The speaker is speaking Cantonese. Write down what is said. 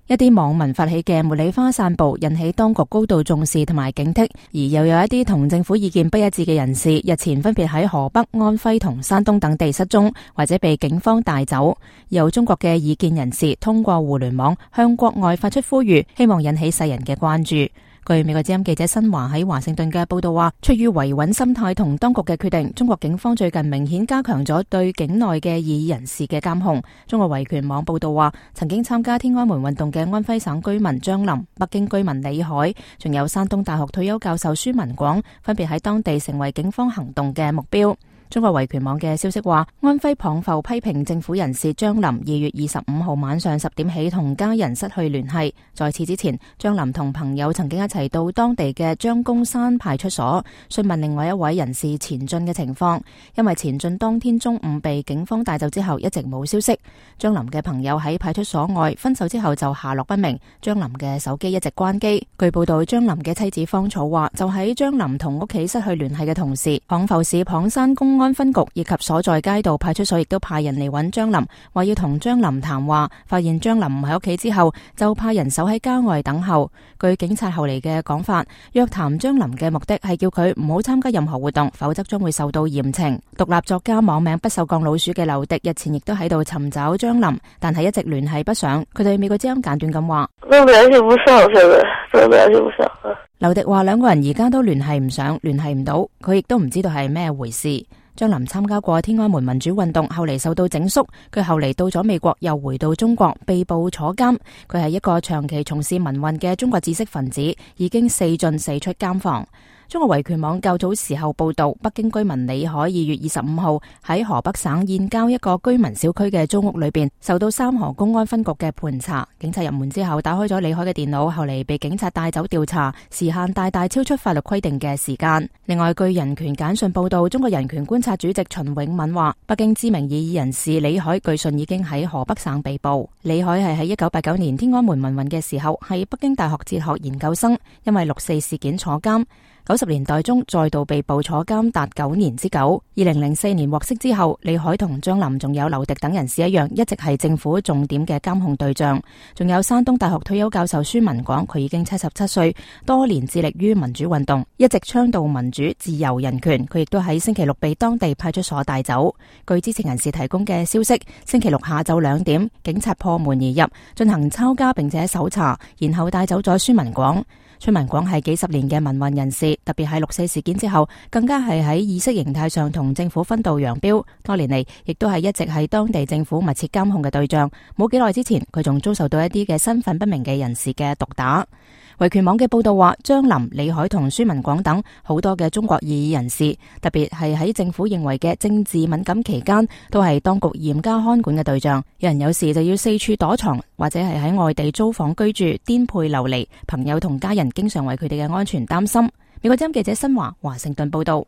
一啲網民發起嘅茉莉花散步引起當局高度重視同埋警惕，而又有一啲同政府意見不一致嘅人士，日前分別喺河北、安徽同山東等地失蹤或者被警方帶走。有中國嘅異見人士通過互聯網向國外發出呼籲，希望引起世人嘅關注。據美國之音記者新華喺華盛頓嘅報道話，出於維穩心態同當局嘅決定，中國警方最近明顯加強咗對境內嘅異議人士嘅監控。中國維權網報道話，曾經參加天安門運動嘅安徽省居民張林、北京居民李海，仲有山東大學退休教授孫文廣，分別喺當地成為警方行動嘅目標。中國維權網嘅消息話，安徽蚌埠批評政府人士張林2月25號晚上10點起同家人失去聯繫。在此之前，張林同朋友曾經一齊到當地嘅張公山派出所詢問另外一位人士錢進嘅情況，因為錢進當天中午被警方帶走之後一直冇消息。張林嘅朋友喺派出所外分手之後就下落不明，張林嘅手機一直關機。據報道，張林嘅妻子方草話，就喺張林同屋企失去聯繫嘅同時，蚌埠市蚌山公安分局以及所在街道派出所亦都派人嚟揾張林，話要同張林談話。發現張林唔喺屋企之後，就派人守喺郊外等候。據警察後嚟嘅講法，約談張林嘅目的係叫佢唔好參加任何活動，否則將會受到嚴懲。獨立作家網名不鏽鋼老鼠嘅劉迪日前亦都喺度尋找張林，但係一直聯繫不上。佢對美國之音簡短咁話：都聯繫不上，現在真聯繫不上。劉迪話兩個人而家都聯繫唔上，聯繫唔到，佢亦都唔知道係咩回事。張林參加過天安門民主運動，後嚟受到整肅，佢後嚟到咗美國，又回到中國，被捕坐監。佢係一個長期從事民運嘅中國知識分子，已經4進4出監房。中國維權網較早時候報道，北京居民李海2月25號喺河北省燕郊一個居民小區嘅租屋裏邊，受到三河公安分局嘅盤查。警察入門之後，打開咗李海嘅電腦，後嚟被警察帶走調查，時限大大超出法律規定嘅時間。另外，據人權簡訊報道，中國人權觀察主席秦永敏話，北京知名異議人士李海據信已經喺河北省被捕。李海係喺1989年天安門民運嘅時候，係北京大學哲學研究生，因為6·4事件坐監。90年代中再度被捕坐監達9年之久。2004年獲釋之後，李海同張林仲有劉迪等人士一樣，一直係政府重點嘅監控對象。仲有山東大學退休教授孫文廣，佢已經77歲，多年致力於民主運動，一直倡導民主、自由、人權。佢亦都喺星期六被當地派出所帶走。據知情人士提供嘅消息，星期六下晝2點，警察破門而入，進行抄家並且搜查，然後帶走咗孫文廣。孫文廣係幾十年嘅民運人士，特別係6·4事件之後，更加係喺意識形態上同政府分道揚鑣。多年嚟，亦都係一直係當地政府密切監控嘅對象。冇幾耐之前，佢仲遭受到一啲嘅身份不明嘅人士嘅毒打。維權網嘅報道話，張林、李海同孫文廣等好多嘅中國異議人士，特別係喺政府認為嘅政治敏感期間，都係當局嚴加看管嘅對象。有人有時就要四處躲藏，或者係喺外地租房居住，顛沛流離。朋友同家人經常為佢哋嘅安全擔心。美國之音記者新華盛頓報道。